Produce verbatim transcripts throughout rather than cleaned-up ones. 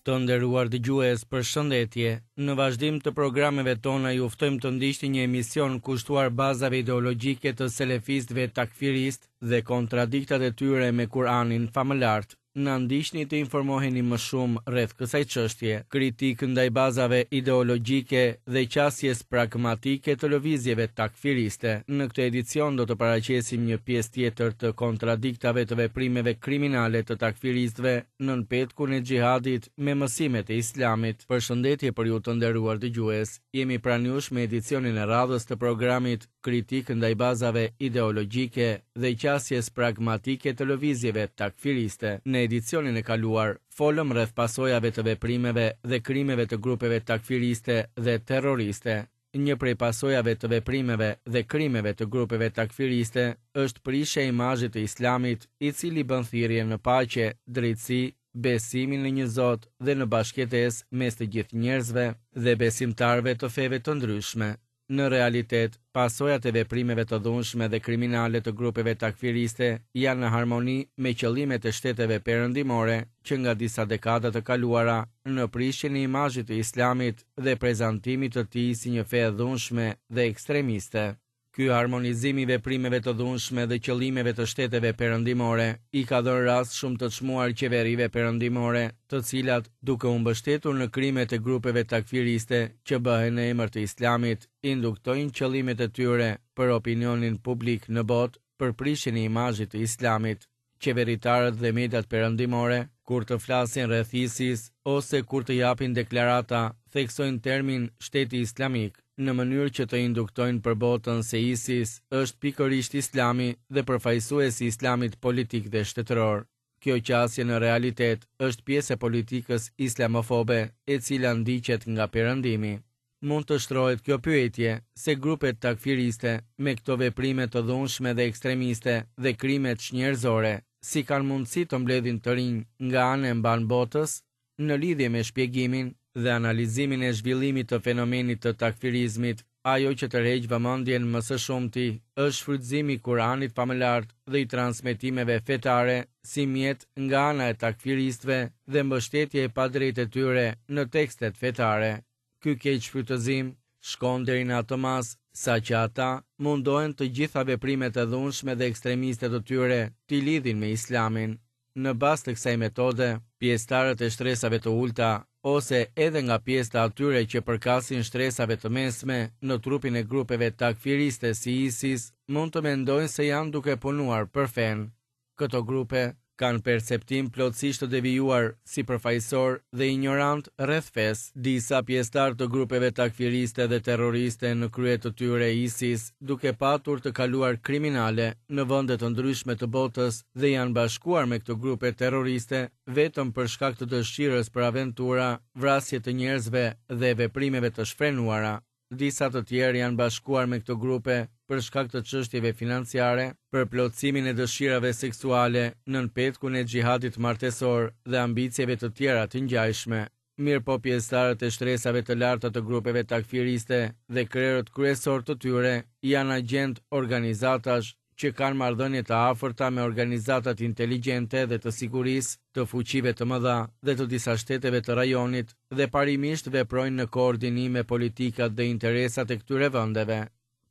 Të nderuar dëgjues, përshëndetje. Në vazhdim të programeve tona ju ftojmë të ndiqni një emision kushtuar bazave ideologjike të selefistëve takfiristë dhe kontradiktat e tyre me Kur'anin famëlartë. Na ndiqni të informoheni më shumë rreth kësaj çështje. Kritikë ndaj bazave ideologjike dhe qasjes pragmatike të lëvizjeve takfiriste. Në këtë edicion do të paraqesim një pjesë tjetër të kontradiktave të veprimeve kriminale të takfiristëve nën petkun e xhihadit me mësimet e Islamit. Përshëndetje për ju të nderuar dëgjues. Jemi pranë jush me edicionin e radhës të programit Kritikë ndaj bazave ideologjike dhe qasjes pragmatike të lëvizjeve takfiriste. Në edicionin e kaluar folëm rreth pasojave të veprimeve dhe krimeve të grupeve takfiriste dhe terroriste. Një prej pasojave të veprimeve dhe krimeve të grupeve takfiriste është prishja e imazhit të Islamit, i cili bën thirrje në paqe, drejtësi, besimin në një Zot dhe në bashkëjetesë mes të gjithë njerëzve dhe besimtarëve të feve të ndryshme. Në realitet, pasojat e veprimeve të dhunshme dhe kriminale të grupeve takfiriste janë në harmoni me qëllimet e shteteve perëndimore që nga disa dekada të kaluara në prishjen e imazhit të Islamit dhe prezantimit të tij si një fe e dhunshme dhe ekstremiste. Ky harmonizim i veprimeve të dhunshme dhe qëllimeve të shteteve perëndimore i ka dhënë rast shumë të çmuar qeverive perëndimore, të cilat, duke u mbështetur në krimet e grupeve takfiriste që bëhen në emër të Islamit, induktojnë qëllimet e tyre për opinionin publik në botë për prishjen e imazhit të Islamit. Qeveritarët dhe mediat perëndimore, kur të flasin rreth ISIS ose kur të japin deklarata, theksojnë termin shteti islamik, në mënyrë që të induktojnë për botën se ISIS është pikërisht Islami dhe përfaqësuesi i Islamit politik dhe shtetëror. Kjo qasje në realitet është pjesë e politikës islamofobe, e cila ndiqet nga Perëndimi. Mund të shtrohet kjo pyetje se grupet takfiriste me këto veprime të dhunshme dhe ekstremiste dhe krimet çnjerëzore, si kanë mundësi të mbledhin të rinj nga anë e mban botës? Në lidhje me shpjegimin dhe analizimin e zhvillimit të fenomenit të takfirizmit, ajo që tërheq vëmendjen më së shumti është shfrytëzimi i Kuranit famëlart dhe i transmetimeve fetare si mjet nga ana e takfiristëve dhe mbështetje e padrejtë e tyre në tekstet fetare. Ky keq shfrytëzim shkon deri në atë masë sa që ata mundohen të gjitha veprimet e dhunshme dhe ekstremiste të tyre t'i lidhin me Islamin. Në bazë të kësaj metode, pjesëtarët e shtresave të ulta ose edhe nga pjesë të atyre që përkasin shtresave të mesme në trupin e grupeve takfiriste si ISIS, mund të mendojnë se janë duke punuar për fen. Këto grupe kanë perceptim plotësisht të devijuar, sipërfaqësor dhe ignorant rreth fesë. Disa pjesëtarë të grupeve takfiriste dhe terroriste në krye të tyre ISIS, duke patur të kaluar kriminale në vende të ndryshme të botës dhe janë bashkuar me këto grupe terroriste vetëm për shkak të dëshirës për aventura, vrasje të njerëzve dhe veprimeve të shfrenuara. Disa të tjerë janë bashkuar me këto grupe për shkak të çështjeve financiare, për plotësimin e dëshirave seksuale nën petkun e xhihadit martesor dhe ambicieve të tjera të ngjashme. Mirëpo pjesëtarët e shtresave të larta të grupeve takfiriste dhe krerët kryesor të tyre janë agjent organizatash që kanë marrëdhënie të afërta me organizatat inteligjente dhe të sigurisë, të fuqive të mëdha dhe të disa shteteve të rajonit dhe parimisht veprojnë në koordinim me politikat dhe interesat e këtyre vendeve.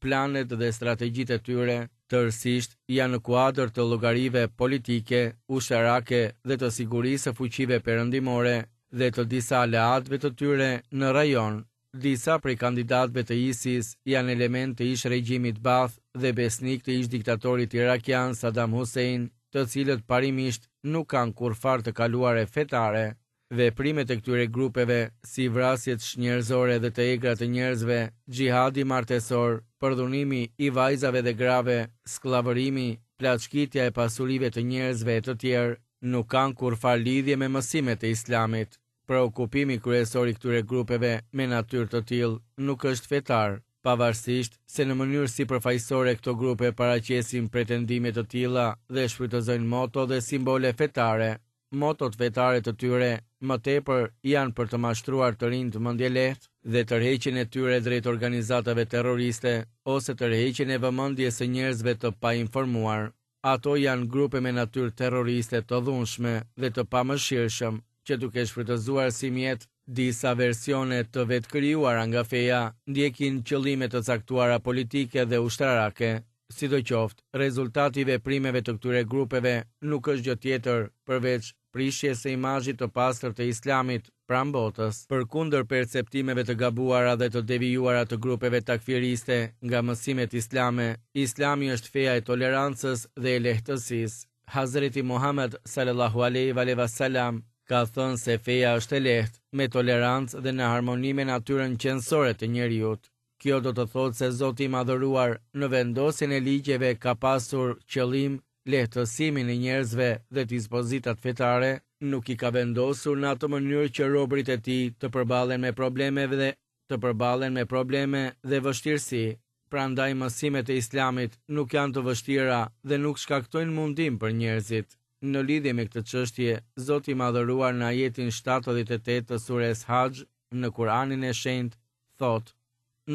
Planet dhe strategjitë e tyre tërësisht janë në kuadër të llogarive politike, ushtarake dhe të sigurisë së fuqive perëndimore dhe të disa aleatëve të tyre në rajon. Disa prej kandidatëve të ISIS janë elementë të ish regjimit Baath dhe besnik të ish diktatorit irakian Saddam Hussein, të cilët parimisht nuk kanë kurrfarë të kaluare fetare. Veprimet e këtyre grupeve, si vrasjet çnjerëzore dhe të egra të njerëzve, xhihadi martesor, përdhunimi i vajzave dhe grave, skllavërimi, plaçkitja e pasurive të njerëzve e të tjerë, nuk kanë kurrfarë lidhje me mësimet e Islamit. Preokupimi kryesor i këtyre grupeve me natyrë të tillë nuk është fetar, pavarësisht se në mënyrë sipërfaqësore këto grupe paraqesin pretendime të tilla dhe shfrytëzojnë moto dhe simbole fetare. Motot fetare të tyre më tepër janë për të mashtruar të rinjtë mendjelehtë dhe tërheqjen e tyre drejt organizatave terroriste ose tërheqjen e vëmendjes së njerëzve të painformuar. Ato janë grupe me natyrë terroriste të dhunshme dhe të pamëshirshëm, që duke shfrytëzuar si mjet disa versione të vetkrijuara nga feja, ndjekin qëllime të caktuara politike dhe ushtarake. Sidoqoftë, rezultati i veprimeve të këtyre grupeve nuk është gjë tjetër përveç prishjes së imazhit të pastër të Islamit pranë botës. Përkundër perceptimeve të gabuara dhe të devijuara të grupeve takfiriste nga mësimet islame, Islami është feja e tolerancës dhe e lehtësisë. Hazreti Muhammed sallallahu alaihi wa sallam ka thënë se feja është e lehtë, me tolerancë dhe në harmoni me natyrën qenësore të njeriut. Kjo do të thotë se Zoti i Madhëruar në vendosjen e ligjeve ka pasur qëllim lehtësimin e njerëzve dhe dispozitat fetare nuk i ka vendosur në atë mënyrë që robërit e tij të përballen me probleme dhe të përballen me probleme dhe vështirësi. Prandaj mësimet e Islamit nuk janë të vështira dhe nuk shkaktojnë mundim për njerëzit. Në lidhje me këtë çështje, Zoti i Madhëruar në ajetin shtatëdhjetë e tetë të sures Haxh në Kur'anin e Shenjtë thotë: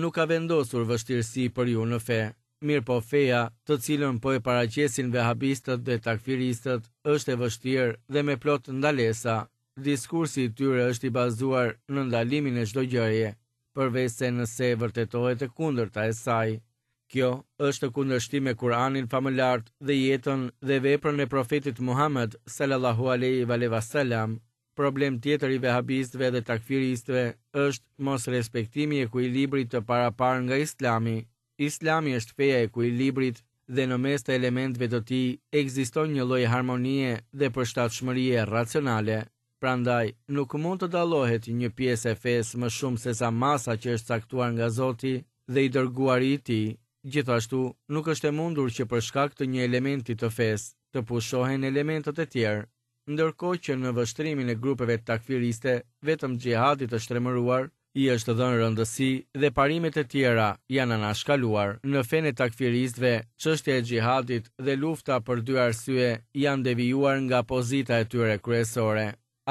Nuk ka vendosur vështirësi për ju në fe. Mirë po feja, të cilën po e paraqesin vehabistët dhe takfiristët, është e vështirë dhe me plot ndalesa. Diskursi i tyre është i bazuar në ndalimin e çdo gjëje, përveç se nëse vërtetohet e kundërta e saj. Kjo është kundërshtim me Kur'anin famëlart dhe jetën dhe veprën e profetit Muhammed sallallahu alaihi wa sallam. Problem tjetër i vehabistëve dhe takfiristëve është mosrespektimi i ekuilibrit të parapar nga Islami. Islami është feja e ekuilibrit dhe në mes të elementëve të tij ekziston një lloj harmonie dhe përshtatshmërie racionale. Prandaj, nuk mund të dallohet një pjesë e fesë më shumë se sa masa që është caktuar nga Zoti dhe i dërguari i tij. Gjithashtu, nuk është e mundur që për shkak të një elementi të fesë të pushohen elementët e tjerë. Ndërkohë që në vështrimin e grupeve takfiriste, vetëm xhihadit të shtrembëruar i është dhënë rëndësi dhe parimet e tjera janë anashkaluar. Në fenë e takfiristëve, çështja e xhihadit dhe lufta për dy arsye janë devijuar nga pozita e tyre kryesore.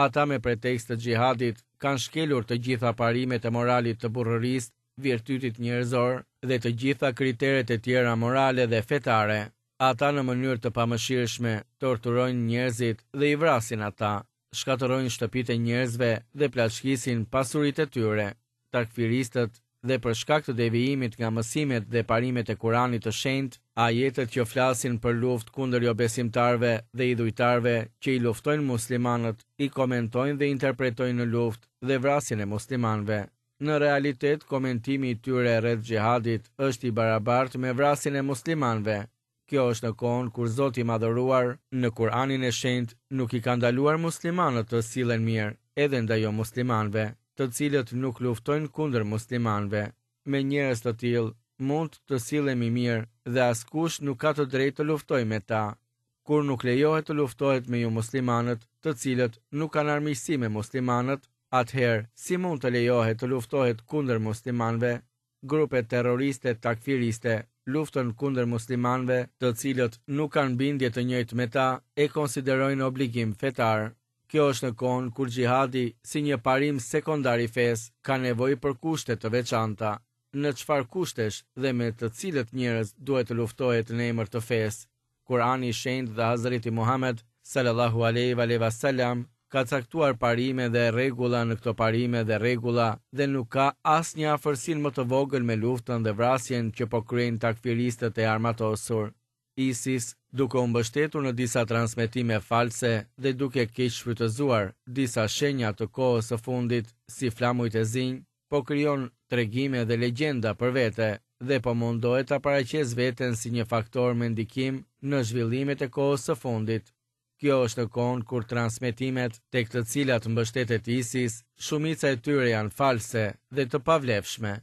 Ata me pretekst të xhihadit kanë shkelur të gjitha parimet e moralit të burrërisë, virtytit njerëzor dhe të gjitha kriteret e tjera morale dhe fetare. Ata në mënyrë të pamëshirshme torturojnë njerëzit dhe i vrasin ata, shkatërrojnë shtëpitë e njerëzve dhe plaçkisin pasuritë e tyre. Takfiristët dhe për shkak të devijimit nga mësimet dhe parimet e Kuranit të Shenjtë, ajetet që flasin për luftë kundër jobesimtarëve dhe idhujtarëve që i luftojnë muslimanët, i komentojnë dhe interpretojnë në luftë dhe vrasjen e muslimanëve. Në realitet, komentimi i tyre rreth xhihadit është i barabartë me vrasjen e muslimanëve. Kjo është në kohën kur Zoti i Madhëruar në Kur'anin e Shenjtë nuk i ka ndaluar muslimanët të sillen mirë edhe ndaj jo muslimanëve, të cilët nuk luftojnë kundër muslimanëve. Me njerëz të tillë mund të sillemi mirë dhe askush nuk ka të drejtë të luftojë me ta. Kur nuk lejohet të luftohet me ju muslimanët, të cilët nuk kanë armiqësi me muslimanët, atëherë si mund të lejohet të luftohet kundër muslimanëve? Grupet terroriste takfiriste luftën kundër muslimanëve, të cilët nuk kanë bindje të njëjtë me ta, e konsiderojnë obligim fetar. Kjo është në kohën kur xhihadi, si një parim sekondar i fesë, ka nevojë për kushte të veçanta. Në çfarë kushtesh dhe me të cilët njerëz duhet të luftohet në emër të fesë? Kur'ani i Shenjtë dhe Hazreti Muhammed sallallahu alaihi wa sallam ka caktuar parime dhe rregulla në këto parime dhe rregulla dhe nuk ka asnjë afërsin më të vogël me luftën dhe vrasjen që po kryejnë takfiristët e armatosur. ISIS, duke u mbështetur në disa transmetime false dhe duke keq shfrytëzuar disa shenja të kohës së fundit si flamujt e zinj, po krijon tregime dhe legjenda për vete dhe po mundohet ta paraqesë veten si një faktor me ndikim në zhvillimet e kohës së fundit. Kjo është në kohën kur transmetimet tek të cilat mbështetet ISIS, shumica e tyre janë false dhe të pavlefshme.